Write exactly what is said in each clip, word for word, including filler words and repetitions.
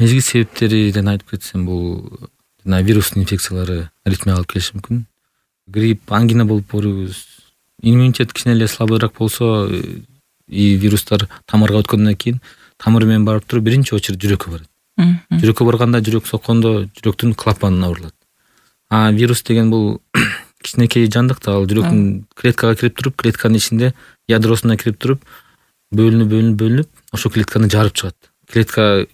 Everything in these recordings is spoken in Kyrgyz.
Мезгил себептерин айтып кетсем, бул жана вирустун инфекциялары аритмияга алып келиши мүмкүн. Грипп, ангина болуп барыбыз. Иммунитет кичине эле слабыйраак болсо, и вирустар тамырга өткөндөн кийин тамыр менен барып туруп биринчи очередь жүрөккө барат. Жүрөккө барганда, жүрөк соккондо жүрөктүн клапаны абырылат. А вирус деген бул кичинекей жандык да, ал жүрөктүн клеткага кирип туруп, клетканын ичинде ядросуна кирип туруп, бөлүнүп, бөлүнүп, бөлүнүп, ошол клетканы жарып чыгат. Клетка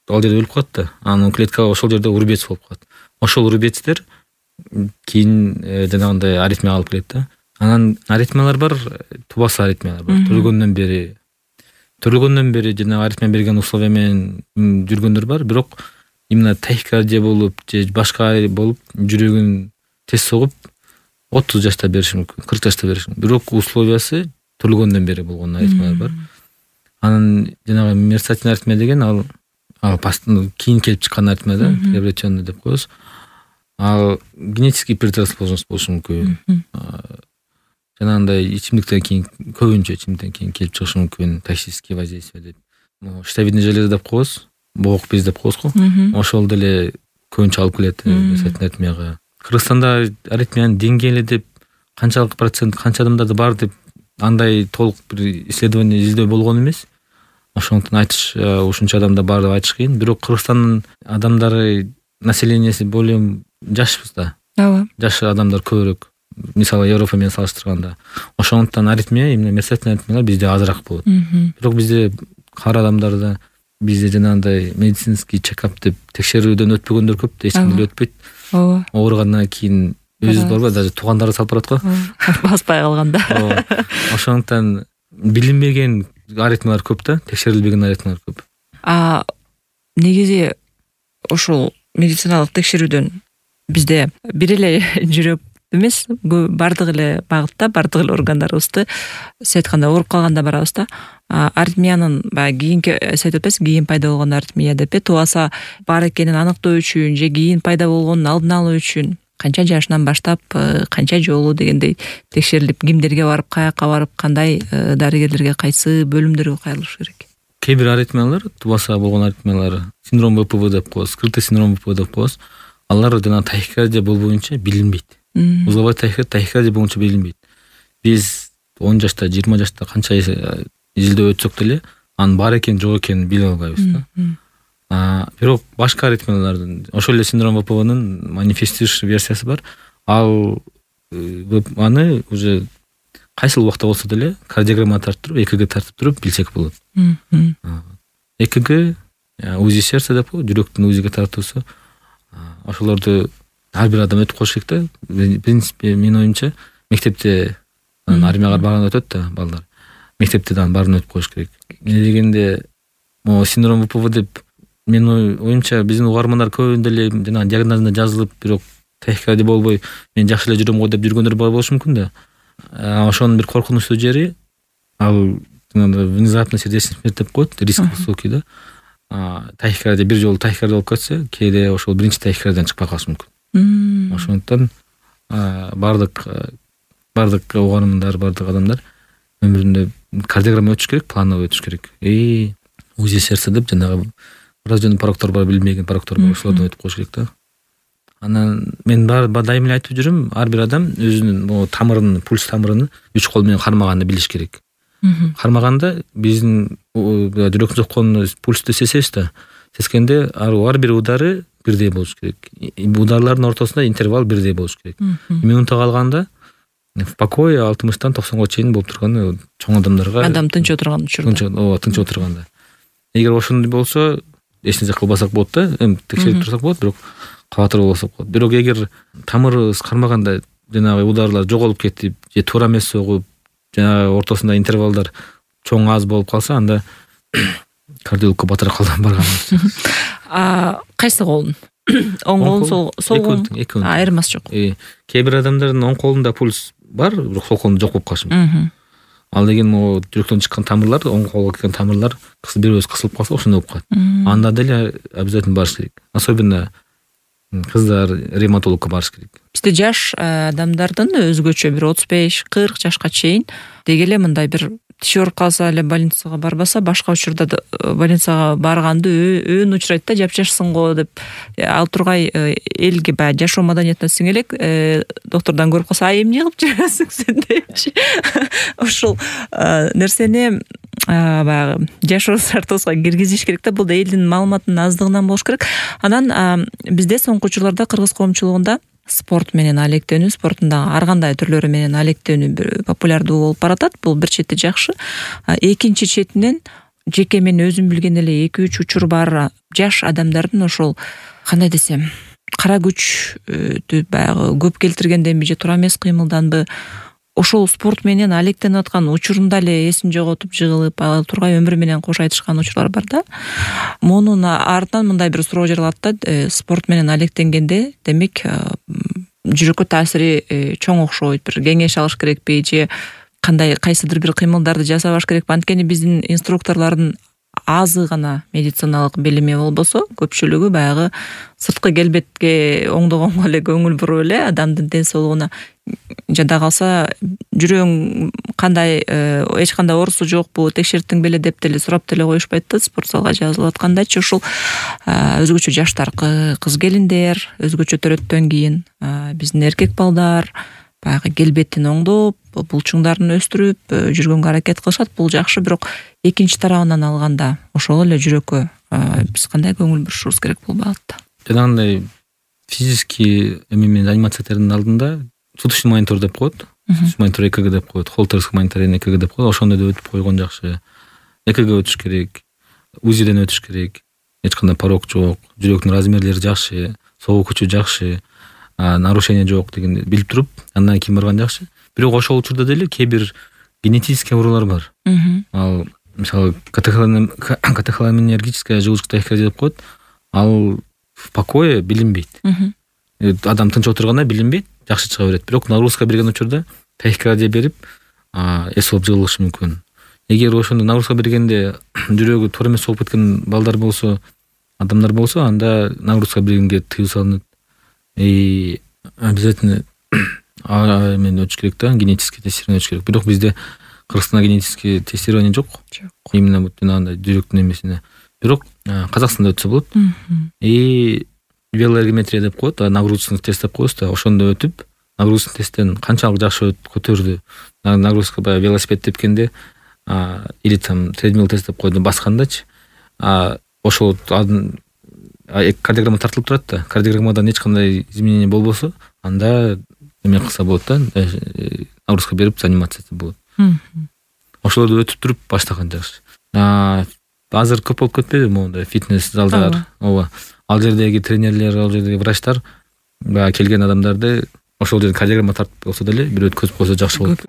ал жерде өлүп калат да, анын клеткага ошол жерде урбец болуп калат. Ошол урбецтер кийин жанагындай аритмияга алып келет да. Анан аритмиялар бар, тубасы аритмиялар бар. Төрөлгөндөн бери төрөлгөндөн бери жанагы аритмия берген условия менен жүргөндөр бар, бирок именно тахикардия болуп же башка болуп жүрөгүн тез согуп отуз жашта бериши мүмкүн, кырк жашта бериши мүмкүн. Бирок условиясы төрөлгөндөн бери болгон аритмиялар бар. Анан жанагы мерцательный аритмия деген ал ал кийин келип чыккан аритмия да, приобретенный деп коебуз. Ал генетический предрасположенность болушу мүмкүн. Жанагындай ичимдиктен кийин, көбүнчө ичимдиктен кийин келип чыгышы мүмкүн, токсические воздействия деп. Щитовидный железа деп коебуз, боок без деп коебуз го. Ошол деле көбүнчө алып келет мерцательный аритмияга. Кыргызстанда аритмиянын деңгээли деп канчалык процент, канча адамдарда бар деп андай толук бир исследование издөө болгон эмес. Ошондуктан айтыш ушунча адамда бар деп айтыш кыйын. Бирок Кыргызстандын адамдары, населениясы более жашпыз да. Ооба. Жаш адамдар көбүрөөк. Мисалы Европа менен салыштырганда. Ошондуктан аритмия, именно мерцательный аритмиялар бизде азыраак болот. Бирок бизде кар адамдарда бизде жанагындай медицинский чекап деп текшерүүдөн өтпөгөндөр көп да, эч ким деле өтпөйт. Ооба. Ооругандан кийин өзү барбы, даже туугандары салып барат го. Баспай калганда. Ошондуктан билинбеген аритмиялар көп да, текшерилбеген аритмиялар көп. А негизи ошол медициналык текшерүүдөн бизде бир эле жүрөк эмес, бардык эле багытта, бардык эле органдарыбызды сиз айткандай ооруп калганда барабыз да. Аритмиянын баягы кийинки сиз айтып атпайсызбы, кийин пайда болгон аритмия деп, тубаса бар экенин аныктоо үчүн же кийин пайда болгонун алдын алуу үчүн канча жашынан баштап, канча жолу дегендей текшерилип, кимдерге барып, каяка барып, кандай дарыгерлерге, кайсы бөлүмдөргө кайрылыш керек? Кээ бир аритмиялар, тубаса болгон аритмиялар, синдром вэ пэ вэ деп коебуз, скрытый синдром вэ пэ вэ деп коебуз. Алар жана тахикардия болбоюнча билинбейт. Узловой тахикардия, тахикардия болуунча билинбейт. Биз он жашта, жыйырма жашта канча изилдөө өтсөк деле, анын бар экенин, жок экенин биле албайбыз да. Бирок башка аритмиялардын, ошол эле синдром вэ пэ вэнин манифестирующий версиясы бар. Ал аны уже кайсыл убакта болсо деле кардиограмма тартып туруп, ЭКГ тартып туруп билсек болот. ЭКГ, УЗИ сердца деп коебуз, жүрөктүн УЗИге тартуусу. Ошолорду ар бир адам өтүп коюш керек да. В принципе, менин оюмча, мектепте армияга барганда өтөт да балдар. Мектепте да баарын өтүп коюш керек. Эмне дегенде, могу синдром вэ пэ вэ деп менин оюмча биздин угармандар көбүндө эле жана диагнозунда жазылып, бирок тахикардия болбой, мен жакшы эле жүрөм го деп жүргөндөр бар болушу мүмкүн да. Ошонун бир коркунучтуу жери, ал внезапно сердечный смерть деп коет, риск высокий да. Тахикардия бир жолу тахикардия болуп кетсе, кээде ошол биринчи тахикардиядан чыкпай калышы мүмкүн. Ошондуктан бардык бардык угармандар, бардык адамдар өмүрүндө кардиограмма өтүш керек, плановый өтүш керек. И УЗИ сердца деп жанагы врожденный пороктор бар, билинбеген пороктор бар, ошолордон өтүп коюш керек да. Анан мен дайым эле айтып жүрөм, ар бир адам өзүнүн могу тамырын, пульс тамырын үч кол менен кармаганды билиш керек. Кармаганда биздин жүрөктүн сокконун пульсту сезебиз да. Сезгенде ар бир удары бирдей болуш керек. Ударлардын ортосунда интервал бирдей болуш керек. Минутага алганда в покое алтымыштан токсонго чейин болуп турган чоң адамдарга, адам тынч отурган учурда. Ооба, тынч отурганда. Эгер ошондой болсо, эч нерсе кылбасак болот да, эми текшерип турсак болот, бирок кабатыр болсок болот. Бирок эгер тамырыбыз кармаганда жанагы ударлар жоголуп кетип, же туура эмес согуп, жанагы ортосунда интервалдар чоң аз болуп калса, анда кардиологко батыраак барганыбыз. А кайсы колун? Оң колун, сол колун? Айырмасы жок. Кээ бир адамдардын оң колунда пульс бар, бирок сол колунда жок болуп калышы мүмкүн. Ал деген могу жүрөктөн чыккан тамырлар, оң колго келген тамырлар бир өзү кысылып калса, ошондой болуп калат. Анда деле обязательно барыш керек. Особенно кыздар ревматологко барыш керек. Бизде жаш адамдардын өзгөчө бир отуз беш кырк жашка чейин деги эле мындай бир тиш ооруп калса эле больницага барбаса, башка учурда больницага барганды өөн учурайт да, жапжашсың го деп. Ал тургай элге баягы жашоо маданиятына сиңе элек, доктордон көрүп калса, ай эмне кылып жүрөсүң сен депчи. Ошол нерсени баягы жашоо шартыбызга киргизиш керек да. Бул да элдин маалыматынын аздыгынан болуш керек. Анан бизде соңку учурларда кыргыз коомчулугунда спорт менен алектенүү, спорттун дагы ар кандай түрлөрү менен алектенүү популярдуу болуп баратат. Бул бир чети жакшы. Экинчи четинен жеке мен өзүм билген эле эки үч учур бар жаш адамдардын ошол кандай десем, кара күчтү баягы көп келтиргенденби же туура эмес кыймылданбы, ошол спорт менен алектенип аткан учурунда эле эсин жоготуп жыгылып, ал тургай өмүрү менен кош айтышкан учурлар бар да. Мунун артынан мындай бир суроо жаралат да, спорт менен алектенгенде демек жүрөккө таасири чоң окшойт, бир кеңеш алыш керекпи же кандай кайсыдыр бир кыймылдарды жасабаш керекпи? Анткени биздин инструкторлордун азы гана медициналык билими болбосо, көпчүлүгү баягы сырткы келбетке оңдогонго эле көңүл буруп эле адамдын ден соолугуна, жада калса жүрөгүң кандай, эч кандай оорусу жокпу, текшерттиң беле деп деле сурап деле коюшпайт да спорт залга жазылып аткандачы. Ушул өзгөчө жаштар, кыз келиндер, өзгөчө төрөттөн кийин биздин эркек балдар баягы келбетин оңдоп, булчуңдарын өстүрүп жүргөнгө аракет кылышат. Бул жакшы, бирок экинчи тарабынан алганда ошол эле жүрөккө биз кандай көңүл бурушубуз керек бул багытта? Жанагындай физический эме менен занимациялардын алдында суточный монитор деп коет. Суточный монитор ЭКГ деп коет, холтерский монитор ЭКГ деп коет. Ошондой да өтүп койгон жакшы. ЭКГ өтүш керек, УЗИден өтүш керек. Эч кандай порог жок, жүрөктүн размерлери жакшы, согуу күчү жакшы, нарушение жок дегенди билип туруп, андан кийин барган жакшы. Бирок ошол учурда деле кээ бир генетический оорулар бар. Ал мисалы катехоламинергическая желудочковая тахикардия деп коет. Ал в покое билинбейт. Адам тынч отурганда билинбейт, жакшы чыга берет. Бирок нагрузка берген учурда тахикардия берип, эс алып жыгылышы мүмкүн. Эгер ошондо нагрузка бергенде жүрөгү туура эмес соолуп кеткен балдар болсо, адамдар болсо, анда нагрузка бергенге тыюу салынат. И обязательно мен өтүш керек да, генетический тестирование өтүш керек. Бирок бизде Кыргызстанда генетический тестирование жок. Именно вот жанагындай жүрөктүн эмесине. Бирок Казакстанда өтсө болот. И велоэргометрия деп коет, нагрузочный тест деп коебуз да, ошондо өтүп, нагрузочный тесттен канчалык жакшы көтөрдү. Нагрузка баягы велосипед тепкенде, или там тредмил тест деп койду, баскандачы, ошол кардиограмма тартылып турат да. Кардиограммадан эч кандай изменение болбосо, анда эме кылса болот да, нагрузка берип занимациясы болот. Ошолорду өтүп туруп баштаган жакшы. Азыр көп болуп кетпеди моундай фитнес залдар. Ооба. Ал жердеги тренерлер, ал жердеги врачтар баягы келген адамдарды ошол жерде кардиограмма тартып болсо деле бир өткөзүп койсо жакшы болот.